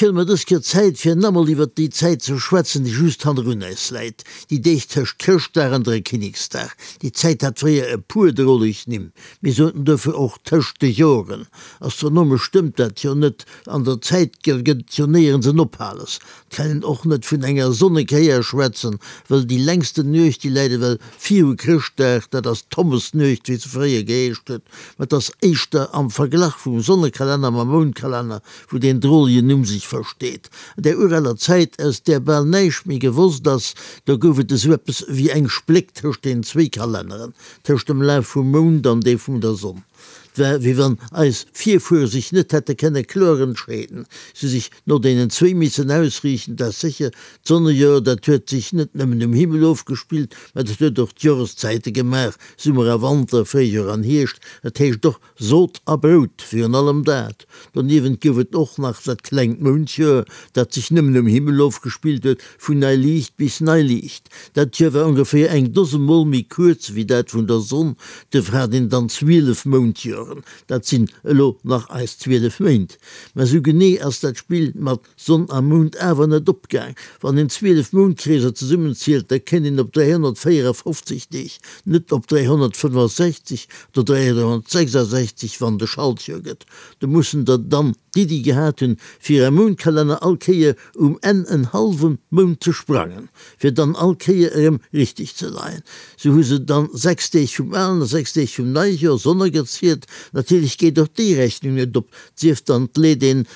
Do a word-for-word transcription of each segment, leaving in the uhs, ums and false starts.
Ech huele mer dës Kéier Zäit, fir namol iwwert déi Zäit ze schwätzen, déi just hannerun eis läit, déi Deeg tëscht Chrëschtdag an Dräikinneksdag. Déi Zäit hat fréier e puer droleg Nimm. Mir soten dofir och tëscht de Joren. Astronomesch stëmmt dat jo net, an der Zäit gëtt et jo néierens en Ophales. Et kann een och net vun enger Sonnekéier schwätzen, wëll déi längsten Nuecht, déi läit ewell viru Chrëschtdag, dat ass d'Thomasnuecht, wéi se fréier geheescht huet. Mä et ass éischter am Verglach vum Sonnekalenner mam Moundkalenner, wou deen drolegen Numm sech versteet. An där uraler Zäit, aus där bal näischt méi gewosst ass, do gouf et esou eppes wéi eng Spléck tëscht den zwéi Kalenneren, tëscht dem Laf vum Mound an dee vum der Sonn. Et war, wéi wann eis Virfuere sech net hätte kënne kloer entscheeden, se hu sech no deenen zwéi missen ausriichten. Dat ass sécher, d'Sonnejoer, dat huet sech net nëmmen um Himmel ofgespillt, mä dat huet och d'Joreszäite gemaach, Summer a Wanter, Fréijoer an Hierscht, dat heescht och Sot a Brout, virun allem dat. Doniewent gouf et och nach dat klengt Moundjoer, dat sech nëmmen um Himmel ofgespillt huet, vun Neiliicht bis Neiliicht. Dat Joer war ongeféier eng Dose Mol méi kuerz wéi dat vun der Sonn, duerfir hat een dann zwielef Moundjoren. Dat sinn elo nach eis zwielef Méint. Mä sou genee ass dat Spill mat Sonn a Mound awer net opgaang. Wann een zwielef Moundkreeser zesummenzielt, da kënnt een op dräihonnertvéierafofzeg Deeg, net op dräihonnertfënnefosechzeg oder dräihonnertsechsasechzeg, wann de Schaltjoer gëtt. Do mussen der dann d'Iddi gehat hunn, fir am Moundkalenner all Kéier um Enn en hallwe Mount ze sprangen, fir dann all Kéier erëm richteg ze leien. Sou hu se dann sechs Deeg vum alen a sechs Deeg vum neie Joer sonnergezielt. Natierlech geet och déi Rechnung net op, 't sief dann, 't leet een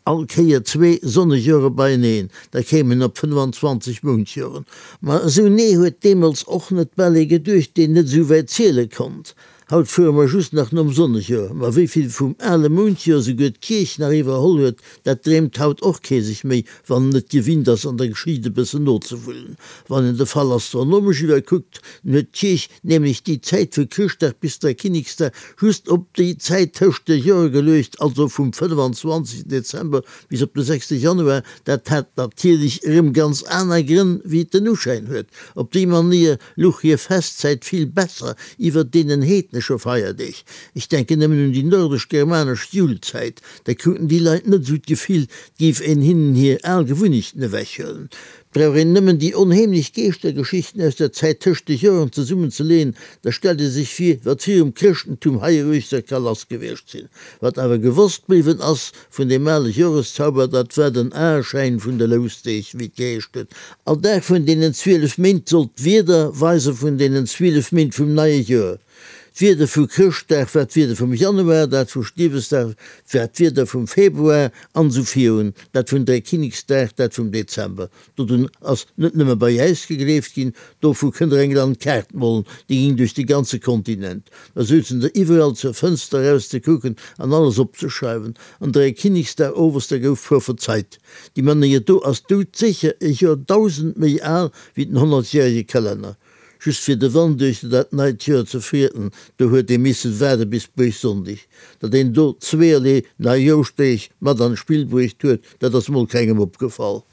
all Kéier zwee Sonnejoere beieneen, da kéim een op fënnefanzwanzeg Moundjoren. Ma esou nee huet deemools och net bal ee geduecht, deen net esou wäit ziele konnt. Haut fuere mer just nach nom Sonnejoer, ma wéi vill vum ale Moundjoer souguer d'Kierch nach iwwerholl huet, dat dreemt haut och kee sech méi, wann en net gewinnt ass, an der Geschicht e bëssen nozewullen. Wann een de Fall astronomesch iwwerkuckt, dann huet d'Kierch nämlech déi Zäit vu Chrëschtdag bis Dräikinneksdag just op déi Zäit tëscht de Jore geluecht, also vum fënnfanzwanzegsten Dezember bis op de sechste Januar. Dat hat natierlech erëm ganz aner Grënn, wéi et den Uschäin huet. Op déi Manéier luch hir Festzäit vill besser iwwer deenen heednesche Feierdeeg. Ech denken nëmmen un déi nordesch-germanesch Julzäit, da kruten déi Leit net esou d'Gefill, 't géif een hinnen hir al Gewunnechten ewechhuelen. 't brauch een nëmmen déi onheemlech Geeschtergeschichten aus der Zäit tëscht de Joren zesummen ze leeën, da stellt ee sech vir, wat virum Chrëschtentum heieruechter ka lass gewiescht sinn. Wat awer gewosst bliwwen ass vun deem ale Joreszauber, dat war den Aeschäin vun de Lousdeeg, wéi et geheescht huet. All Dag vun deenen zwielef Méint sollt d'Wieder weise vun deenen zwielef Méint vum neie Joer. D'Wieder vu Chrëschtdag war d'Wieder vum Januar, dat vu Stiefesdag war d'Wieder vum Februar, an esou virun, dat vun Dräikinneksdag dat vum Dezember. Dodrun ass net nëmme bei äis gegleeft ginn, dovu kënnt der eng Landkaart molen, déi ging duerch de ganze Kontinent. Da souzen der iwwerall zur Fënster eraus ze kucken an alles opzeschreiwen. An Dräikinneksdag owes, da gouf prophezeit. Déi Manéier do ass doudsécher e Joerdausend méi al wéi den honnertjärege Kalenner. Just fir de Wand duerch dat neit Joer ze frieden, do huet ee missen waarde bis Buergsonndeg. Datt een do zweeërlee Neijoschdeeg mat an d'Spill bruecht huet, dat ass mol kengem opgefall.